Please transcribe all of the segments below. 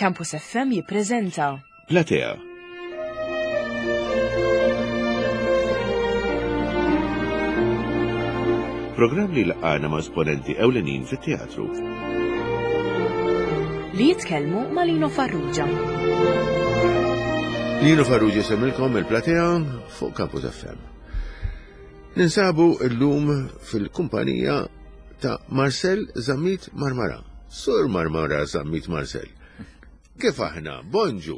Campus FM jippreżenta Platea. Programm li laqgħana ma' esponenti ewlenin fit-teatru. Li jitkellmu ma' Lino Farrugia. Lino Farrugia semmilkom il-Platea fuq Campus FM. Ninsabu llum fil-kumpanija ta' Marcel Zammit Marmara. Sur Marmara Zammit Marcel. Kif aħna? Bonġu.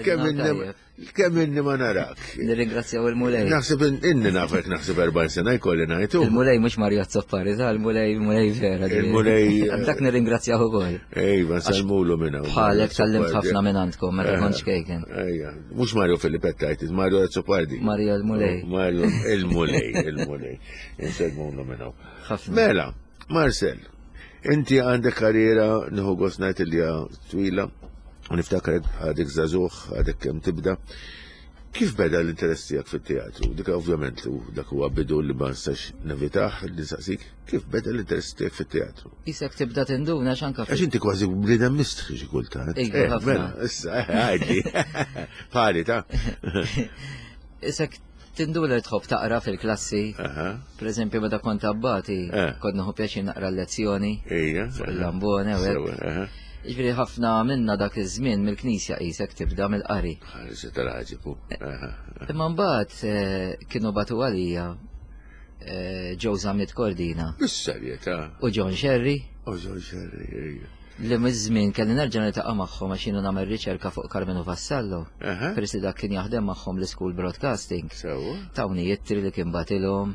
Kemm inni ma narak. Nirringrazzjaw il-Mulej. Naħseb inni nafek naħseb 40 sena jkolli ngħidu. Il-Mulej mhux Mario Azzopardi, ta' il-Mulej il-Mulej vera. Il-Mulej. Dak nirringrazzjaw ukoll. Ejva, nsalmulu minn hawn. Bħalek tallimt ħafna minn għandkom meta kont xkejken. Ejja, mhux Mario Filippetta jgħid, Mario Azzopardi. Mario il-Mulej. Mario il-Mulej, il-Mulej. Insellmulu minn hawn. Mela, Marcel, inti għandek karriera nieħu gost ngħid li twila u niftakrek għadek żagħżugħ, għadek kemm tibda. Kif beda l-interess tiegħek fit-teatru? Dik ovvjament dak huwa bidu li ma nistax nevitah li nsaqsik, kif beda l-interess tiegħek fit-teatru? Isek tibda tinduna x'anka. Għax inti kważi bniedem mistħi xi kultant. Iva, eh, mela, issa, eh, għaddi. Pali ta' Isek Tinduna li tħobb taqra fil-klassi. Per eżempju, meta kont abbati, eh. kont nieħu pjaċir naqra l-lezzjoni. Fuq il-lambone u hekk. Ġifieri ħafna minna dak iż-żmien mill-knisja qisek tibda mill-qari. Ħarġa tal-ħaġibu. Imma mbagħad eh, kienu batu għalija eh, Joe Zammit Cordina. Bis-serjetà. U John Sherry. U John Sherry, ejja li miż-żmien kelli nerġa' niltaqa' magħhom għax jiena nagħmel riċerka fuq Carmenu Vassallo. Peress li dak kien jaħdem magħhom l-School Broadcasting. Tawni jittri li kien batilhom,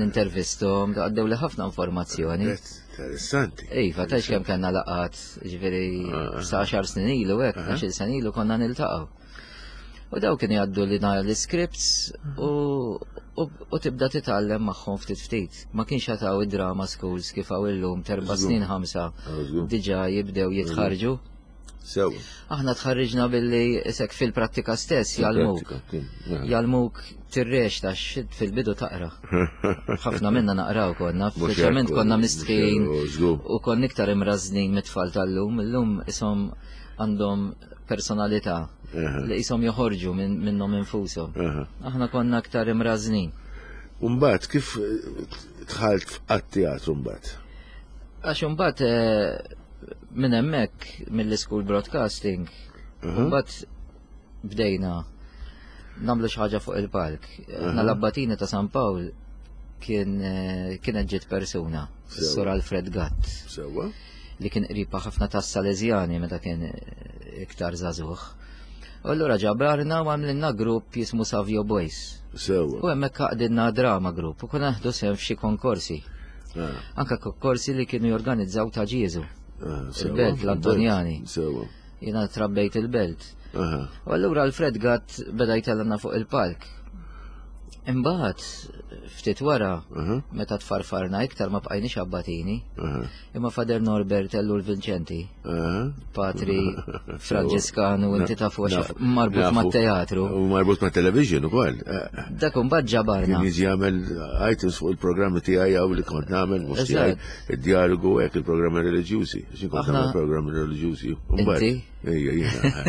nintervistom, għaddew li ħafna informazzjoni. Interessanti. Iva, tajx kemm kellna laqat, ġifieri sa għaxar snin ilu hekk, għaxil snin ilu konna niltaqgħu. U daw kienu jgħaddu li l-scripts u, u, tibda titgħallem magħhom ftit ftit. Ma kienx jataw id-drama schools kif hawn illum terba' snin ħamsa diġà jibdew jitħarġu. Sew. Aħna tħarriġna billi isek fil-prattika stess jgħallmuk. Jgħallmuk tirrex ta' fil-bidu taqra. Ħafna minna naqraw konna, speċjalment konna mistħin u konna iktar imrażnin mit-tfal tal-lum, illum isom għandhom personalità li qishom joħorġu minnhom infushom. Aħna konna aktar imrażnin. Umbagħad kif eh, dħalt għat-teatru mbagħad? Għax imbagħad eh, minn hemmhekk mill-school broadcasting, mbagħad bdejna nagħmlu xi ħaġa fuq il-palk. Aħna l-abbatini ta' San Pawl kien eh, kienet ġiet persuna, is-Sur Alfred Gatt. Sewwa. Li kien qriba ħafna tas-Salesjani meta kien eh, iktar żagħżugħ. U allura ġabarna u għamlilna grupp jismu Savio Boys. Sewwa. U hemmhekk għaqdilna drama grupp u konna naħdu sehem f'xi konkorsi. Ah. Anka konkorsi li kienu jorganizzaw ta' Ġieżu. Ah, Il-belt l-Antonjani. Sewwa. Jiena trabbejt il-belt. U allura Alfred Gatt beda jtellgħana fuq il-palk. Imbagħad ftit wara, meta tfarfarna iktar ma bqajniex abbatini, imma Fader Norbert Ellul Vincenti, patri Franġiskanu inti tafu għax marbut mat-teatru. U marbut ma' television ukoll. Dak imbagħad ġabarna. Kien jiġi jagħmel items fuq il-programmi tiegħi hawn li kont nagħmel mhux tiegħi id-dialogu hekk il-programmi reliġjużi. Xi kont nagħmel programmi reliġjużi. Inti? Ejja, jiena.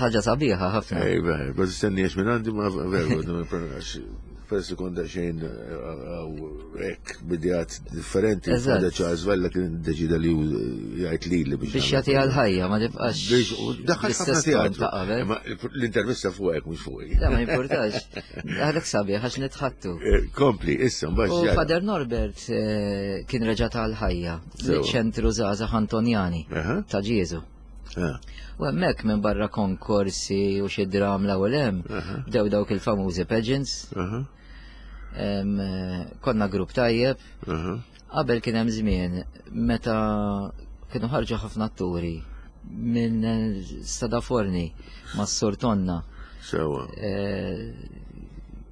Ħaġa sabiħa ħafna. Ejja, ma tistenniex minn għandi ma veru, peress li kont daqsxejn hekk bidjat differenti, Father Charles Vella kien deċida li jgħid lili biex. Biex jagħti għal-ħajja, ma tibqax. Biex daħal ħafna teatru. L-intervista fuq hekk mhux fuqi. La ma jimpurtax. Għalhekk sabiħ għax nitħattu. Eh, kompli, issa mbagħad. U Father Norbert eh, kien reġa' tal-ħajja ċentru żgħażagħ Antonjani ta' Ġieżu. Ah. U hemmhekk minn barra konkorsi u xi dram l-ewwel hemm, bdew dawk il-famużi pageants. Eh, konna grupp tajjeb. Qabel kien hemm żmien meta kienu ħarġu ħafna atturi minn eh, Sadaforni ma' Sur Tonna. Sewa. Eh,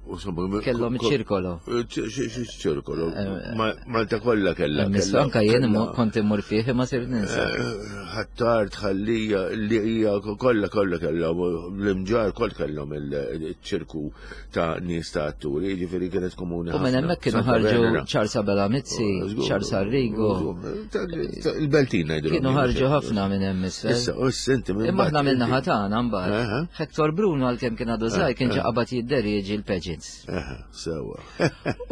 Kellhom iċ-ċirkolo. Ċirkolo. Eh, Malta kollha kellha. Anka jien kont immur fih ma sirt ninsa. Eh, Ħattar tħallija li hija kollha kollha kellhom l-imġar koll kellhom il-ċirku ta' nies ta' atturi, jiġifieri kienet komuni. U minn hemmhekk kienu ħarġu Charles Abela Mizzi, oh, Charles Arrigo. Il-Beltin ngħidu. Kienu ħarġu ħafna minn hemm isfel. Issa, u inti minn. Imma aħna minn naħa tagħna mbagħad. Hector Bruno għalkemm kien għadu żgħir kien ġa qabad jidderieġi l-pageants. Sewa.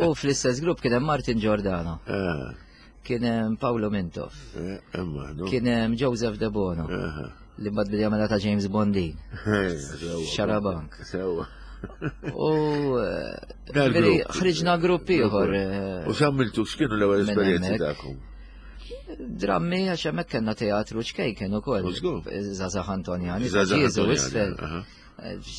U fl-istess grupp kien hemm Martin Giordano. Kien hemm Paolo Mintoff. Eh, kien hemm Joseph De Bono. Li mbagħad bidja mela ta' James Bondin. Xarabank. Sewa. U eh, ħriġna grupp ieħor. Eh, U x'għamiltu x'kienu l-ewwel esperjenzi tagħkom? Drammi għax hemmhekk kellna teatru ċkejken ukoll. Żgħażagħ Antonjani. Żgħażagħ isfel.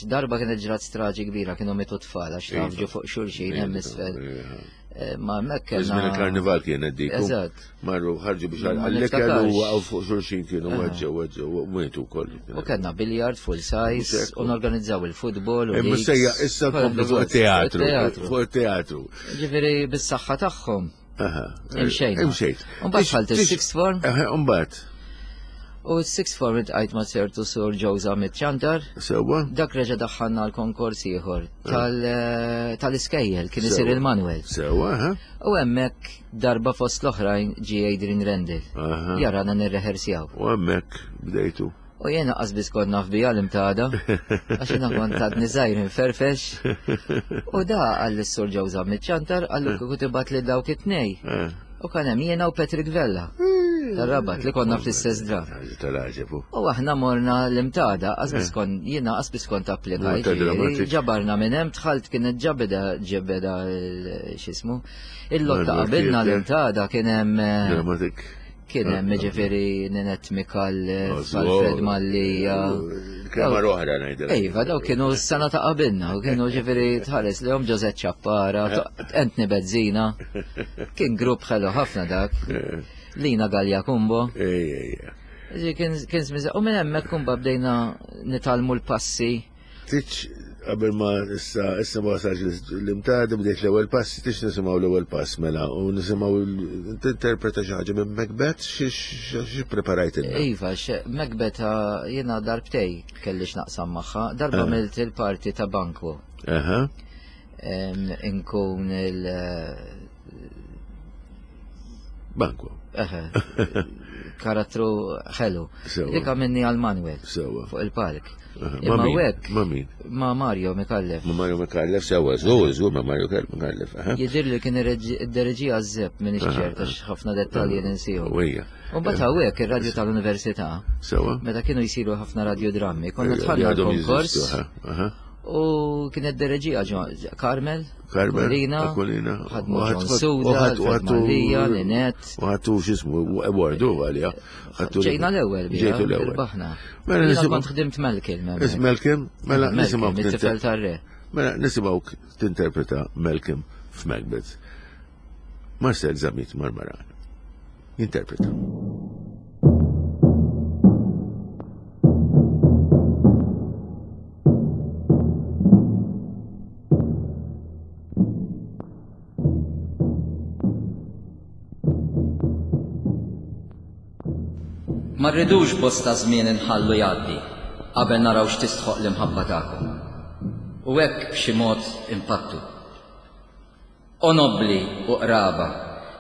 Darba kienet ġrat straġi kbira kienu mitu tfal għax iva. tafġu fuq xulxin hemm iva, isfel. Iva. Eh, ma hemmhekk kellna. Żmien il-karnival kienet dik. Eżatt. Marru ħarġu biex għall-ikel u waqgħu fuq xulxin kienu eh. weġġew weġġew u mietu wkoll. U kellna biljard full size u norganizzaw il-futbol. Imma sejja issa tkomplu fuq it-teatru. Fuq it-teatru. Ġifieri bis-saħħa tagħhom. Imxejt. Imxejt. Umbagħad dħalt is-sixth form. Umbagħad. U s-sixth form itqajt ma' ċertu sur Ġewża Mitċantar. Sewwa. Dak reġa' daħħalna l-konkors ieħor eh, tal-iskejjel kien isir il-Manuel. Sewwa, U hemmhekk darba fost l-oħrajn ġie Adrian Rendel. Jarana nirrehersjaw. U hemmhekk bdejtu. U jiena qas biss kont naf bija l-imtada, għax jiena kont għadni żgħir inferfex. U da għall sur ġew Zammit Ċantar għallu kieku tibgħat li dawk it-tnej. Eh. U kan hemm jiena u Patrick Vella. Tar-Rabat li konna fl-istess dra. U aħna morna l-imtada, qas biss eh. kont jiena qas biss kont applikajt. Ġabarna minn hemm dħalt kienet ġabeda ġebeda x'ismu. Il-lotta qabilna l-imtada kien hemm. Eh, Dramatik. Kien hemm ġifieri Ninette Mikallef, Alfred Mallija. Kemm oħra ngħidilek. Iva, daw kienu s-sena ta' qabilna, u kienu ġifieri tħares lihom Ġożett Ċappara, Anthony Bezzina. Kien grupp ħelu ħafna dak. Lina Gallia Kumbo. Kien żmien u minn hemmhekk kumba bdejna nitalmu l-passi. Tiċ qabel ma issa issa ma wasalx l-imtad bdejt l-ewwel pass, tix nisimgħu l-ewwel pass mela u nisimgħu tinterpreta xi ħaġa minn Macbeth xi preparajt ilna. Iva, Macbeth ah, jiena darbtej kelli x'naqsam magħha, darba ah. milt il-parti ta' Banku. Aha. Inkun il- Banku. Eħe. Karattru ħelu. Dik minni għal Manuel. Fuq il-palk. Imma hekk. Ma min? Ma Mario Mikallef. Ma Mario Mikallef, sewa, żgur, żgur ma Mario Mikallef. Jidir li kien id-dereġija żeb minn iċ-ċerta ħafna dettalji ninsihom. U mbagħad hawnhekk ir-radju tal-università. Sewa. Meta kienu jsiru ħafna radiodrammi, konna tħallna konkors. U kienet dereġija Carmel, Carmel, Aquilina, Aquilina, ħadmu John Suda, Malija, Linet. U ħattu xismu, awardu għalija. Ġejna l-ewwel, ġejtu l-ewwel. Baħna. Mela nisimgħu. Kont ħdimt Malcolm. Malcolm, mela nisimgħu. Tifel tar-re. Mela nisimgħu tinterpreta Malcolm f'Macbeth. Marcel Zamit Marmaran. Jinterpreta. Ma rridux bosta żmien inħallu jgħaddi qabel naraw x'tistħoqq l-imħabba tagħkom. U hekk b'xi mod impattu. O nobbli u qraba,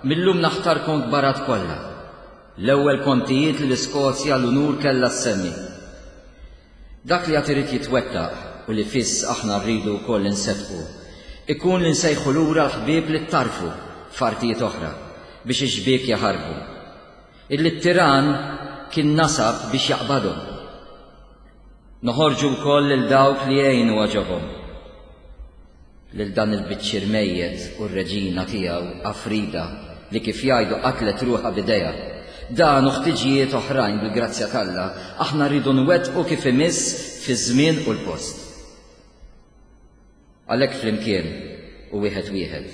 mil-lum naħtarkom kbarat kollha, l-ewwel kontijiet li l-Iskozja l-unur kellha ssemmi. Dak li għad irid jitwettaq u li fiss aħna rridu wkoll inseddqu, ikun li nsejħu lura l-ħbieb li ttarrfu f'artijiet oħra biex ix-xbiek jaħarbu. Illi t-tirann kien nasab biex jaqbadhom. Noħorġu wkoll lil dawk li jgħinu għoġobhom. Lil dan il-biċċier mejjet u r-reġina tiegħu Afrida li kif jgħidu qatlet ruħha b'idejha. Dan u ħtiġijiet oħrajn bil-grazzja t'Alla aħna rridu nwettqu kif imiss fiż-żmien u l-post. Għalhekk flimkien u wieħed wieħed,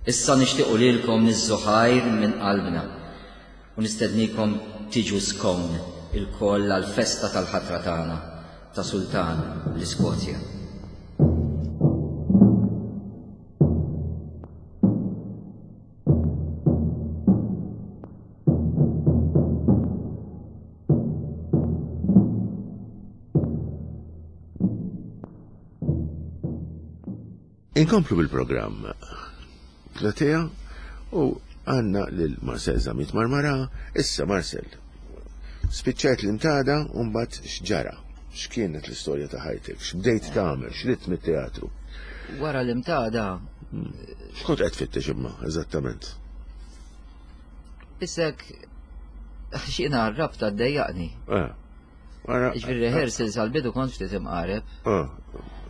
issa nixtiequ lilkom niżżu ħajr minn qalbna u nistednikom tiġu Scone ilkoll għall-festa tal-ħatra tagħna ta' Sultan l-Iskozja. Inkomplu bil-programm Platea u għanna lil Marcel Zamit Marmara. Issa Marcel, spiċċajt l-imtada u mbagħad x'ġara? X'kienet l-istorja ta' ħajtek? X'bdejt tagħmel? X'ridt mit-teatru? Wara l-imtada. X'kont qed tfittex imma eżattament? Isek x'jiena r-rabta ddejjaqni. Eh. Ġifieri rehearsals għal-bidu kont ftit imqareb. Ah,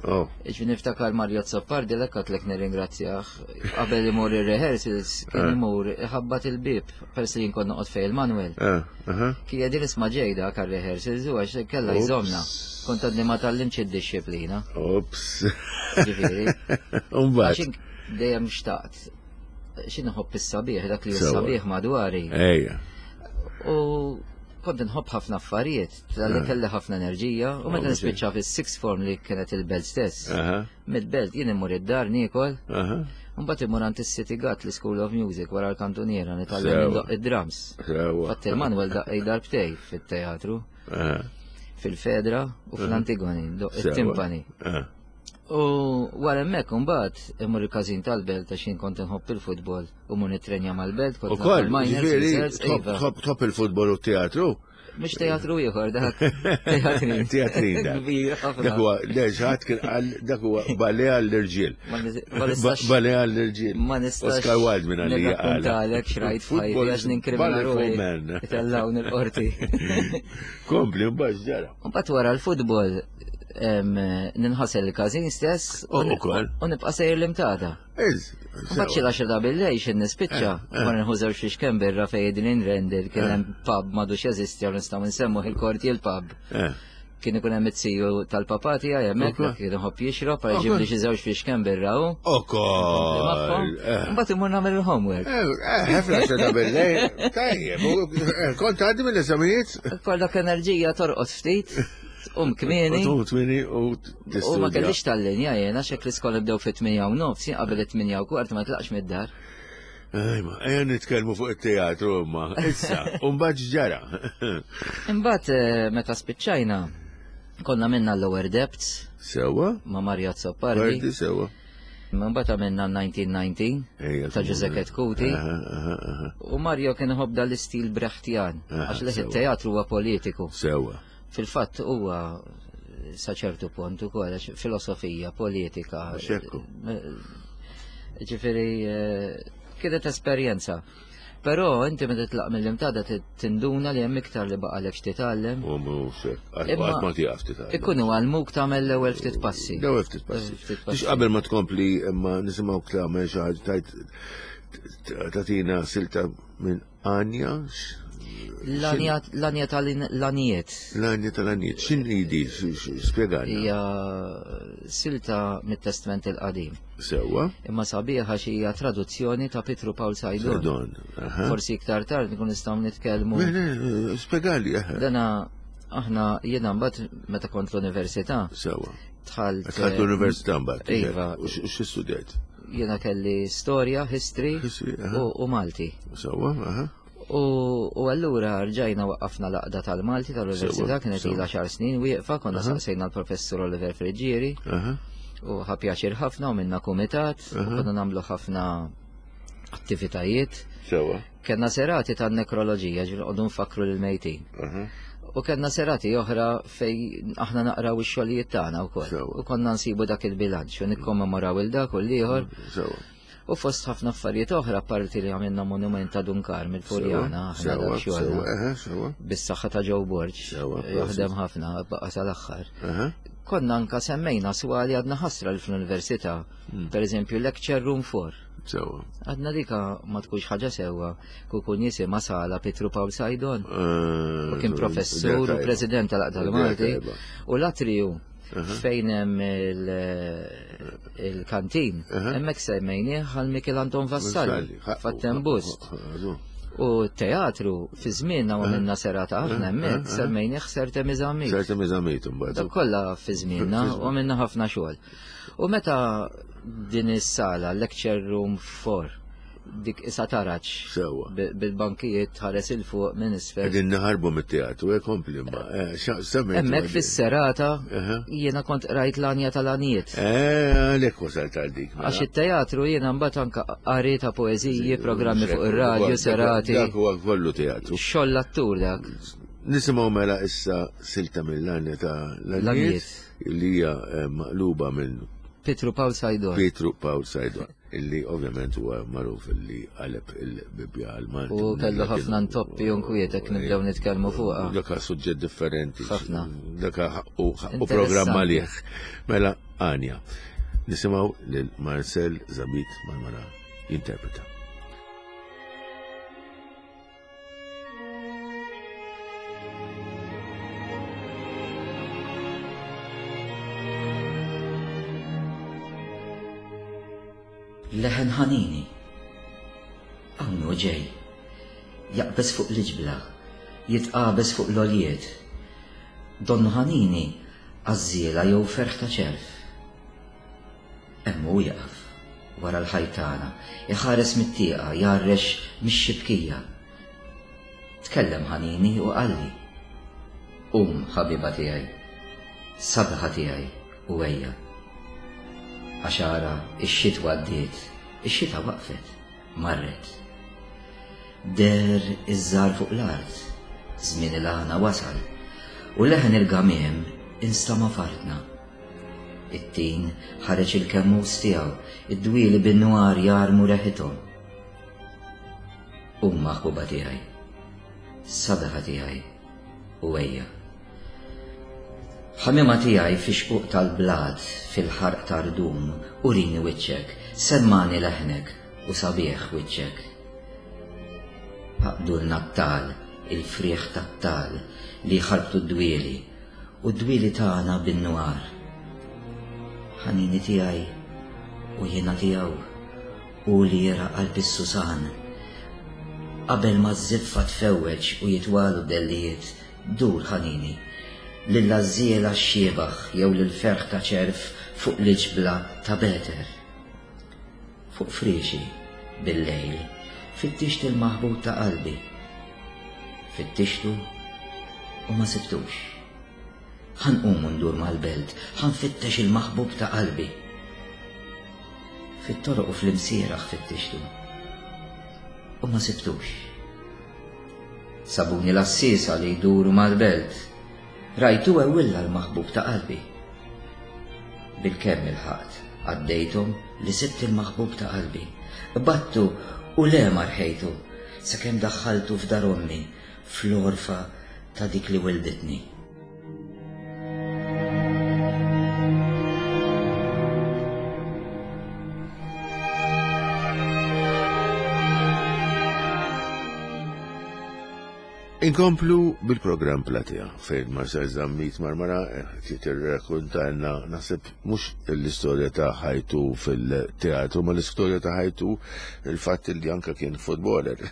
oh. Ġifieri niftakar Mario Zoppardi l għatlek nirringrazzjah. Qabel imur ir-rehearsals kien eh. imur iħabbat il-bib peress li jinkon noqgħod fej il-Manuel. Eh, Kien jedin isma' ġejda għal rehearsals u għax kella jżomna. Kont għadni ma tallimx id-disciplina. Ops. Ġifieri. Umbagħad. Dejjem xtaqt. X'inħobb is-sabiħ dak li sabiħ madwari. Ejja. U kont nħobb ħafna affarijiet, tal-li eh. kelli ħafna enerġija, u meta nispiċċa fis-sixth form li kienet il-belt stess. Mid-belt jien immur id-dar niekol, mbagħad immur għand is-City Gut l-School of Music wara l-kantuniera nitgħallem indoq id-drums. Fatt il-Manuel daqqej darbtej fit-teatru, fil-Fedra u fl-Antigoni, doq it-timpani. U wara hemmhekk imbagħad imur il-każin tal-belt għax jien kont inħobb il-futbol u mur nitrenja mal-belt kont Ukoll, ġifieri tħobb il-futbol u t-teatru? Mhux teatru ieħor dak. Teatrin. Teatrin dak. Dak huwa le ħadd kien qal dak huwa ballet għall-irġiel. Ballet għall-irġiel. Ma nistax. Oscar Wilde minn għalija qal. Nirrakkontalek xrajt f'ħajti għax ninkrimina ruħi. Itellgħu il-qorti. Kompli mbagħad ġara. Mbagħad wara l-futbol ninħasel il-każin stess u nibqa' sejjer l-imtada. Mbagħad xi l-għaxra ta' billejl xi nispiċċa, eh, eh. ma nħu żewġ fiex kemm birra fejn din inrender kien eh. hemm pub m'għadux jeżisti jew nistgħu nsemmu il-korti il-pub. Kien ikun hemm it-siju tal-papà tiegħi hemmhekk kien iħobb jixrob għal ġibli xi żewġ fiex kemm birra hu. Ukoll. Mbagħad imur nagħmel il-homework. Ħafna għaxra ta' billejl. Tajjeb, kont għaddi mill-eżamijiet? Kollok enerġija torqod ftit. Tqum kmieni. Tqum kmieni u tistudja. U ma kellix tal-linja jien għax hekk l-iskola bdew fit-8 u nofs, jien qabel it-8 u kwart ma tlaqx mid-dar. Ejma, ejja nitkellmu fuq it-teatru imma. Issa, u mbagħad x'ġara? Imbagħad eh, meta spiċċajna konna minna l-Lower Depths. Sewa. Ma' Mario Azzopardi. Pardi sewa. Mbagħad għamilna 1919 ta' Giuseppe Kuti. U Mario kien iħobb dal-istil Brechtjan, għax leħ it-teatru huwa politiku. Sewa. Fil-fatt huwa sa ċertu punt ukoll għax filosofija, politika. Ġifieri eh, kienet esperjenza. Però inti meta titlaq mill-imtada tinduna li hemm iktar li baqalek x'titgħallem. U mhux hekk, qatt ma tieqaf titgħallem. Ikunu għallmuk tagħmel l-ewwel ftit passi. L-ewwel ftit passi. Biex qabel ma tkompli imma nisimgħu tagħmel xi ħaġa tajt tagħtina silta minn Anja? L-anja tal-anijiet. L-anja tal-anijiet. X'inhi di? Spjegana. Hija silta mit-Testment il-Qadim. Sewwa. Imma sabiħa xi hija traduzzjoni ta' Pietru Pawl Sajdon. Sajdon. Forsi iktar tard nkun nistgħu nitkellmu. Spjegali. Dana aħna jiena mbagħad meta kont l-università. Sewwa. Dħalt. Dħalt l-università mbagħad. Iva. U xi studjajt? Jiena kelli storja, history u Malti. Sewwa, aha. U allura rġajna waqqafna l-aqda tal-Malti tal-Università kienet ilha xar snin wieqfa konna saqsejna l-professur Oliver Friggieri. U ħa pjaċir ħafna u minna kumitat u konna nagħmlu ħafna attivitajiet. Sewwa. Kellna serati tan-nekroloġija, ġifieri noqogħdu nfakkru lill-mejtin. U kellna serati oħra fej aħna naqraw ix-xogħlijiet tagħna wkoll. U konna nsibu dak il-bilanċ u nikkommemoraw il dak u l-ieħor. U fost ħafna affarijiet oħra parti li għamilna monument ta' Dunkar mill-Furjana, aħna dak xogħol. Bis-saħħa ta' Joe Borg, jaħdem ħafna baqa' sal-aħħar. Konna anka semmejna swali għadna ħasra li fl-università, hmm. per eżempju lecture room 4. Sewa. Għadna dika ma tkunx ħaġa sewwa kukun jisimha sala Pietru Pawl Sajdon. Eh, u kien professur u president tal-Aqda l-Malti. U l-atriju fejn hemm il-kantin, hemmhekk semmejnieh għal Mikel Anton Vassalli, fattem bust. U teatru fi żmienna u minna serata aħna hemmhekk semmejnieh Serte Miżamit. Serte Miżamit imbagħad. Dak kollha fi żmienna u minna ħafna xogħol. U meta din is-sala, lecture room 4, Dik isa taraġ. Sewwa. Bil-bankijiet tħares 'il fuq minn isfel. Qegħdin naħarbu mit-teatru, eh kompli imma. Eh, semmejt. Hemmhekk fis-serata jiena kont qrajt l-għanja tal-għanijiet. Eh, għalhekk wasalt għal dik. Mela. Għax it-teatru jiena mbagħad anke qari ta' poeżiji, programmi fuq ir-radju, serati. Dak huwa kollu teatru. Xogħol l-attur dak. Nisimgħu mela issa silta mill-għanja ta' l-għanijiet li hija eh, maqluba minn Pietru Pawl Saydon. Pietru Pawl Saydon. Illi ovvjament huwa magħruf illi qaleb il-Bibbja għal Malti. U kellu ħafna ntoppi u nkwiet hekk nibdew nitkellmu fuqha. Dak suġġett differenti. Ħafna. Dak u programm għalih. Mela Anja. Nisimgħu lil Marcel Zabit Marmara jinterpreta. Leħen ħanini. Hawn hu ġej. Jaqbeż fuq l-iġbla, jitqabeż fuq l-għoljiet. Donnu ħanini għażżiela jew ferħ ta' ċerv. Hemm hu jieqaf, wara l-ħajt tagħna, iħares mit-tieqa, jgħarrex mix-xibkija. Tkellem ħanini u qalli, Qum, ħabiba tiegħi, sabiħa tiegħi, u ejja. Għax ara, ix-xitwa għaddiet, ix-xita waqfet, marret. Deher iż-żahar fuq l-art, żmien il-għana wasal, u leħen il-gamiem instama' f'artna. It-tin ħareġ il-kemmus tiegħu, id-dwieli bin-nwar jarmu reħithom. Qum maħbuba tiegħi, sabiħa tiegħi, u ejja. Ħamiema tiegħi fix-xquq tal-blat, fil-ħarq ta' rdum, urini wiċċek, semmagħni leħnek u sabiħ wiċċek. Għaqdulna t-tagħal, il-frieħ tat-tagħal li jħarbtu d-dwieli, U d-dwieli tagħna bin-nwar. Ħanini tiegħi u jiena tiegħu, hu li jera' qalb is-susan. Qabel ma ż-żiffa tfewweġ u jitwalu d-dellijiet, dur, ħanini, lill-għażżiela x-xiebaħ jew lill-ferħ ta' ċerv fuq l-iġbla ta' Beter. Fuq friexi, bil-lejl, fittixt il-maħbub ta' qalbi. Fittixtu u ma sibtux. Ħa nqum u ndur mal-belt, ħa nfittex il-maħbub ta' qalbi. Fit-toroq u fl-imsieraħ fittixtu u ma sibtux. Sabuni l-għassiesa li jduru mal-belt, rajtu ewwilla l-maħbub ta' qalbi. Bilkemm ilħaqt, għaddejthom li sibt il-maħbub ta' qalbi. Qbadtu u le ma rħejtu, sakemm daħħaltu f'dar ommi, fl-għorfa ta' dik li wilditni. Inkomplu bil-programm Platea fejn Marcel Zammit Marmara qed jirrakkontalna naħseb mhux l-istorja ta' ħajtu fil-teatru ma l-istorja ta' ħajtu il-fatt li anka kien footballer.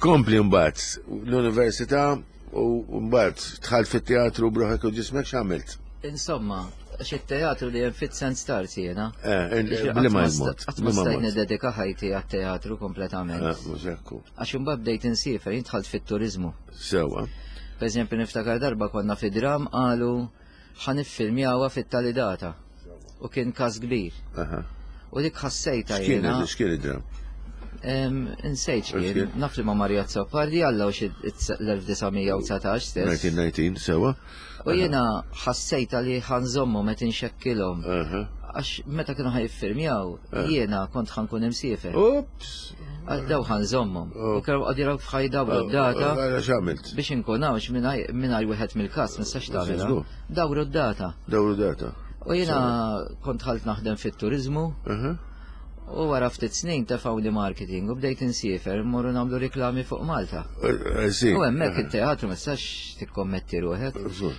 Kompli mbagħad l-università u mbagħad dħalt fit-teatru b'ruħek u ġismek x'għamilt? Insomma, għax it-teatru li hemm fit sens start jiena. Eh, Bliema il-mod. Qatt ma stajt niddedika ħajti għat-teatru kompletament. Eh, mhux hekk. Għax imbagħad bdejt insiefer, jien dħalt fit-turiżmu. Sewwa. Per eżempju niftakar darba konna fi dram qalu ħa niffilmjawha fit-tali data. U kien każ kbir. U dik ħassejta jiena. X'kien id-dram? Insejt x'kien, naf li ma' Maria Azzopardi għalla u xi l-1919 stess. 1919, sewa. U jiena ħassejta li ħanżommu meta inxekkilhom. Għax meta kienu ħajffirmjaw, jiena kont ħankun imsiefer. Ups! Daw ħanżommhom. U kienu qogħdu jaraw f'ħaj dawru oh, d-data. X'għamilt? Biex inkun hawnx mingħajr wieħed mill-każ ma nistax tagħmilha. Dawru d-data. Dawru d-data. U jiena kont ħalt naħdem fit-turiżmu. U wara ftit snin tefgħuni marketing u bdejt insiefer mmorru nagħmlu riklami fuq Malta. Eh, eh, u hemmhekk it-teatru ma tistax tikkommetti ruħek.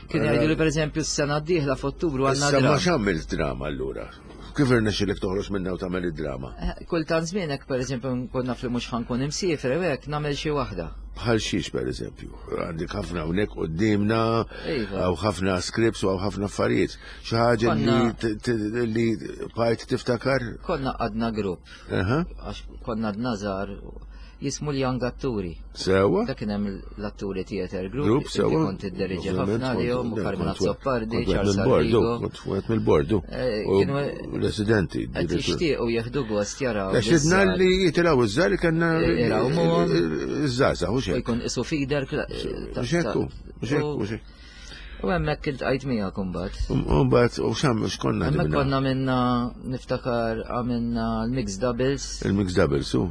Kien jgħidu li pereżempju s-sena d-dieħla f'Ottubru għandna. Issa ma x'għamilt drama allura. Kif irnexxilek toħroġ minna u tagħmel id-drama? Eh, kultant żmien hekk pereżempju nkun naf li mhux ħankun imsiefer u hekk nagħmel xi waħda. Bħal xiex pereżempju, għandek ħafna hawnhekk quddiemna, Iva. hawn ħafna scripts u hawn ħafna affarijiet. Xi ħaġa li li bqajt tiftakar? Konna għadna grupp. Għax konna għadna żgħar jismu l-Young Atturi. Sewa. Dak kien hemm l-Atturi Theater Group. Group, sewa. Kont idderieġi ħafna lihom u Carmen Azzopardi, Charles Arrigo. Kont wieħed mill-bordu. Eh, Residenti. Qed jixtiequ jieħdu gost jaraw. Għax idna li jitilgħu iż-żgħar li kellna iż-żgħażagħ u xejn. Jkun isu feeder. Mhux hekk, mhux hekk, mhux hekk. U hemmhekk iltqajt miegħek imbagħad. Imbagħad u x'hemm x'konna Hemmhekk konna minna niftakar għamilna l-mix doubles. Il-mix doubles, u.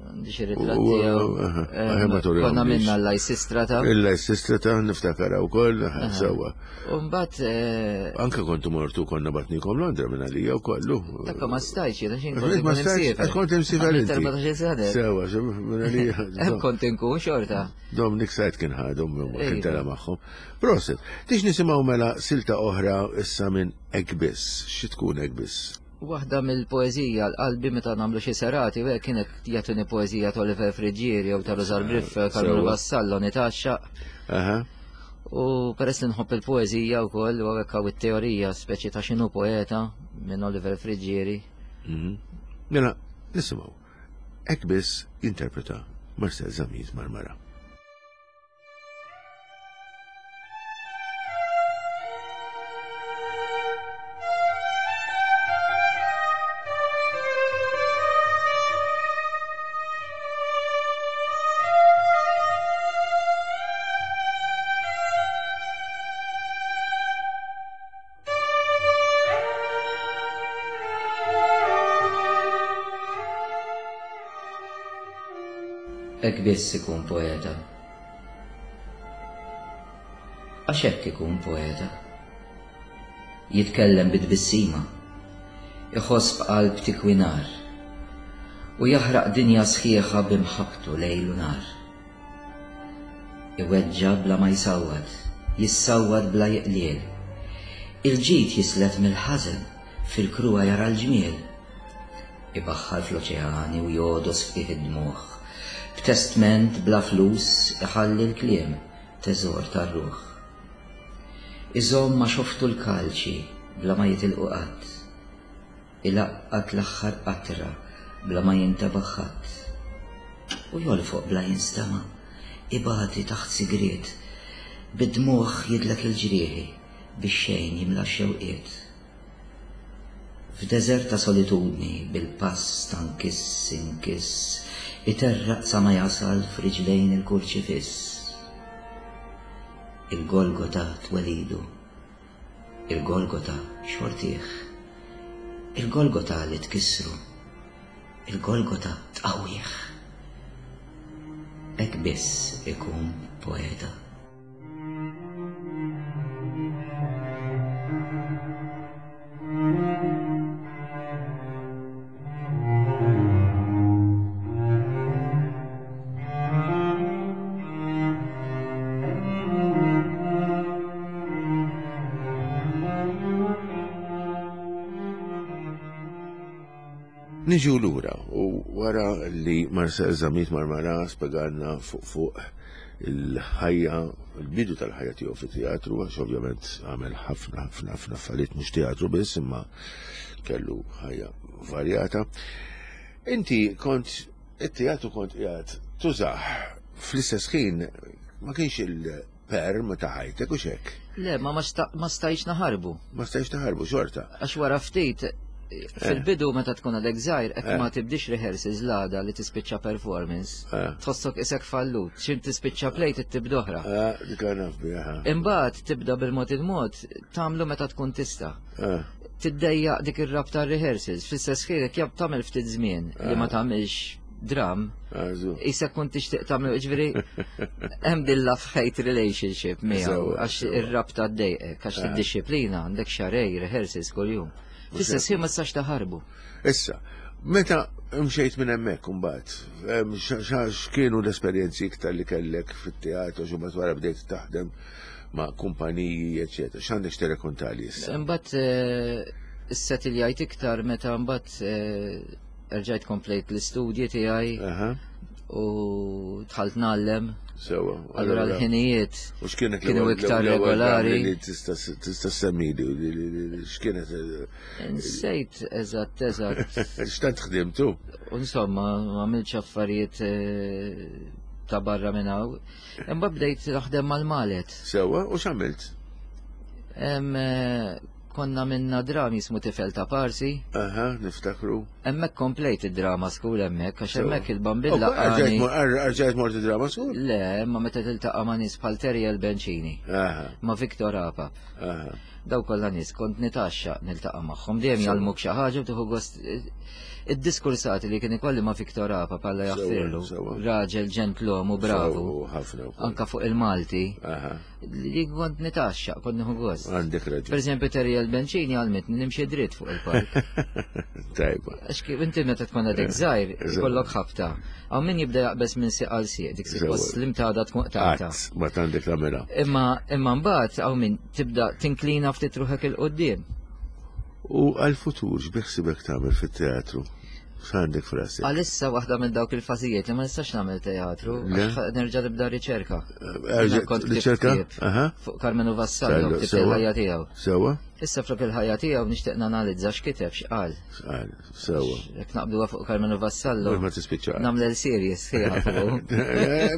Għandi xi ritratti tiegħu. Konna minna l-Lysistrata. Il-Lysistrata niftakar wkoll, sewwa. U mbagħad eh, Anke kontu mortu konna batnikom Londra minn għalija wkoll. Dakka ma stajtx jiena x'in kont ma stajtx, kont imsiefer inti. Sewwa, minn għalija. Hemm kont inkun xorta. Dominic Said kien ħadhom ma kien tela magħhom. Proset, tix nisimgħu mela silta oħra issa minn Hekk Biss. Xi tkun Hekk Biss? Waħda mill-poeżija l-qalbi meta nagħmlu xi serati u hekk kienet jagħtuni poeżija ta' Oliver Friggieri jew ta' Rużar Briff, Karmenu Vassallo nitgħaxxaq. U peress li nħobb il-poeżija wkoll u hekk hawn it-teorija speċi ta' x'inhu poeta minn Oliver Friggieri. Mhm. Mela, nisimgħu. Hekk biss jinterpreta Marcel Zammit Marmara. Hekk biss ikun poeta. Għax hekk ikun poeta. Jitkellem bi tbissima, iħoss b'qalb tikwi nar, u jaħraq dinja sħiħa bi mħabbtu lejl u nhar. Iweġġa' bla ma jsawwat, jissawwat bla jiqliel. Il-ġid jislet mill-ħażen, fil-kruha jara l-ġmiel. Ibaħħar fl-oċeani u jogħdos f'qiegħ id-dmugħ. B'testment bla flus iħalli l-kliem, teżor tar-ruħ. Iżomm ma' xoftu l-kalċi bla ma jitilqu qatt. Ilaqqat l-aħħar qatra bla ma jintebaħ ħadd. U jolfoq bla jinstema', ibati taħt sigriet, bid-dmugħ jidlek il-ġrieħi, bix-xejn jimla x-xewqiet. F'deżert ta' solitudni bil-pass ta' nkiss inkiss, iterraq sa ma jasal f'riġlejn il-kurċifiss. Il-Golgota twelidu. Il-Golgota xortih. Il-Golgota li tkissru. Il-Golgota tqawwih. Hekk biss ikun poeta. Niġu lura u wara li Marcel Zamit Marmara spjegalna fuq fuq il-ħajja, il-bidu tal-ħajja tiegħu fit-teatru, għax ovvjament għamel ħafna ħafna ħafna affarijiet mhux teatru biss, imma kellu ħajja varjata. Inti kont it-teatru kont qiegħed tużah fl-istess ħin ma kienx il-perm ta' ħajtek u xek. Le, ma ma stajtx naħarbu. Ma stajtx naħarbu xorta. Għax wara ftit fil-bidu meta tkun għadek żgħir hekk ma tibdix rehearsals l-għada li tispiċċa performance. Tħossok isek fallut, xim tispiċċa play tibda oħra. Dik naf biha. Imbagħad tibda bil-mod il-mod tagħmlu meta tkun tista'. Tiddejjaq dik ir-rabta rehearsals, fl-istess ħin jekk jab tagħmel ftit żmien li ma tagħmilx dram, isek kun tixtieq tagħmel ġifieri hemm din love hate relationship miegħu għax ir-rabta ddejqek għax tiddixxiplina għandek xarej rehearsals kuljum. Fl-istess ħin ma tistax taħarbu. Issa, meta mxejt minn hemmhekk imbagħad, x'kienu l-esperjenzi iktar li kellek fit-teatru xi mbagħad wara bdejt taħdem ma' kumpaniji, eċetera. X'għandek x'tirrekontali issa? Imbagħad eh, Issetiljajt iktar meta mbagħad eh, erġajt komplejt l-istudji tiegħi u dħalt ngħallem. Sewa. Allura l-ħinijiet U x'kienet kienu l-ewwel- iktar l-ewwel regolari. li tista' tista' semmili x'kienet eh, Nsejt eżatt eżatt. x'tant ħdimtu? U Insomma, ma għamilx affarijiet eh, ta' barra minn hawn. Imbagħad bdejt naħdem mal-malet. Sewa, u x'għamilt? Em, eh, Konna minna drami jismu tifel ta' Parsi. Aha, niftakru. Hemmhekk komplejt id-drama school hemmhekk għax Sewa. hemmhekk il-bambin U, laqani. Rġajt mort id-drama school? Le, imma meta tiltaqa' ma' nies bħal Terjel Benċini, Aha, ma' Victor Apap. aha. Daw kollha nies kont nitaxxa niltaqa' magħhom dejjem Sewa. jgħallmuk xi ħaġa u tieħu gost id-diskursati li kien ikolli ma' Victor Apap alla Sewa, jaħfirlu. sewa. Raġel ġentlom u bravu. Sewa, ħafna wkoll. Anka fuq il-Malti Aha, li kont nitaxxa, kont nieħu gost. għandek Per raġun. eżempju Terjel Benċini għalmitni nimxi dritt fuq il-park. Tajba. Għax kif inti meta tkun għadek żgħir, Eżatt. ikollok ħabta. Hawn min jibda jaqbeż minn sieq għal sieq, dik Sewa. suppost l-imtada tkun qtaqta. Qatt ma għandek tagħmilha. Imma imma mbagħad hawn min tibda tinklina ftit ruħek il qudiem U għal-futur x'biħsibek tagħmel fit-teatru? X'għandek frasek? Għalissa waħda minn dawk il-fażijiet li ma nistax nagħmel teatru, Le. għax nerġa' nibda riċerka. Jiena kont ktibt Riċerka? ktieb Aha. Fuq Carmenu Vassallo, Sellu, ktibt sewa. il-ħajja tiegħu. Sewa? Issa flok il-ħajja tiegħu nixtieq nanalizza x'kiteb x'qal. Għal, Sewa. Jekk naqbduha fuq Carmenu Vassallo, Mhux ma tispiċċa. nagħmel series sħiħa fuqu.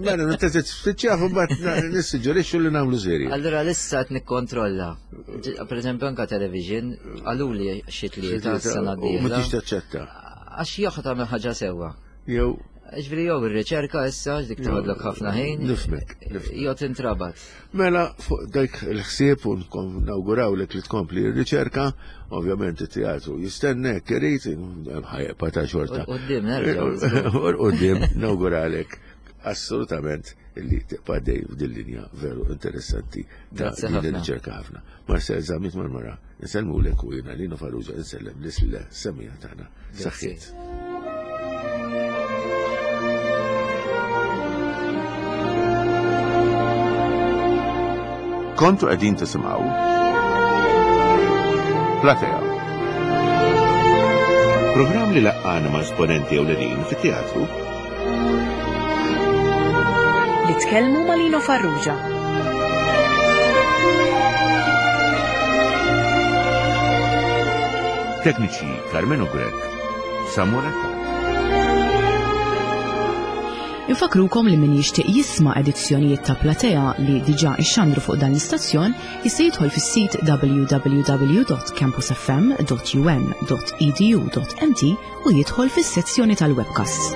Mela, meta tispiċċa mbagħad nissuġġerixxu li nagħmlu serje. Allura lissa qed nikkontrolla. Per eżempju anka television, qaluli xi tlieta s-sena U ma d-dieħla. tix taċċetta. Għax joħod tagħmel ħaġa sewwa. Jew Ġifieri jew ir-riċerka issa dik toħodlok ħafna ħin. Nifmek, nifmek. Jew tintrabat. Mela, fuq dak il-ħsieb u nawgurawlek li tkompli r-riċerka, ovvjament it-teatru jistennek, irid, ħajqa ta' xorta. U qudiem nerġgħu. U qudiem nawguralek assolutament li tibqa' dej f'din linja veru interessanti ta' Grazzi din ħafna. ir-riċerka ħafna. Marcel Zamit Marmara, insellmulek u jiena Lino Farrugia insellem l semija tagħna. Grazzi. Saħħiet. Kontu qegħdin tisimgħu Platea. Programm li laqqana ma' esponenti ewlenin fit-teatru Li tkellmu ma' Lino Farrugia. Tekniċi Carmenu Grek, Samuel Attard. Infakrukom li min jixtieq jisma' edizzjonijiet ta' Platea li diġà ixxandru fuq dan l-istazzjon jista' jidħol fis-sit www.campusfm.um.edu.mt u jidħol fis-sezzjoni tal-webcasts.